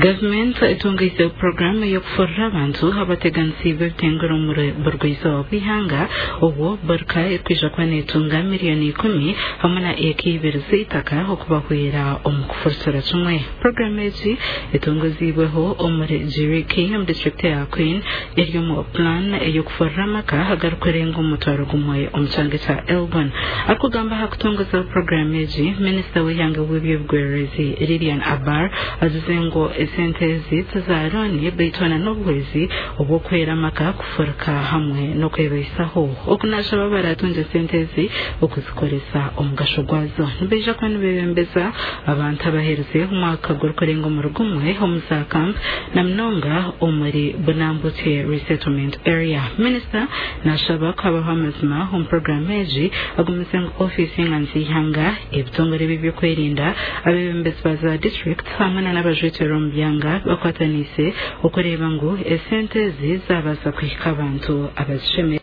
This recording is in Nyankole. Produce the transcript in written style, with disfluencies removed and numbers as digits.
Gavumenti etungiize puroguraamu ey'okufurura abantu abateganisiibwe ebitengure omuri burugwa-izooba bw'eihanga obwo Burka erikwija kuba netunga miriyoni 10 hamwe na eka ibiri z'eitaka okubahwera omu kufurukira kimwe. Puroguraamu egi etongoziibweho omuri Jiriki omu disiturikiti eya Kween eri omu pulaani ey'okufurura amaka agarikurenga omutwaro gumwe omu kyanga ekya Elgon. Arikugamba aha kutongoza puroguraamu egi, minisita w'eihanga w'eby'obugwererezi Lilian Aber agize ngu esente ezi tiza looni beitu na n'obuhwezi obw'okuhwera amaka kufuruka hamwe n'okwebaisaho. Oku naashaba abaratunga esente ezi okuzikoresa omugasho gwazo. Nibaija kuba nibeebembeza abantu abaherize omwaka gurikurenga omuri gumwe omu za camp na munonga omuri Bunambutye Resettlement Area. Minisita naashaba ku habaho amazima omu puroguraamu egi agumize ngu ofiisi y'enganzi y'eihanga, ebitongore eby'ebyokwerinda, abeebembezi ba za disiturikiti hamwe na n'abajwekyerwa omu byanga bakwataniise okureeba ngu esente ezi zaabaasa kuhika abantu abazishemereire.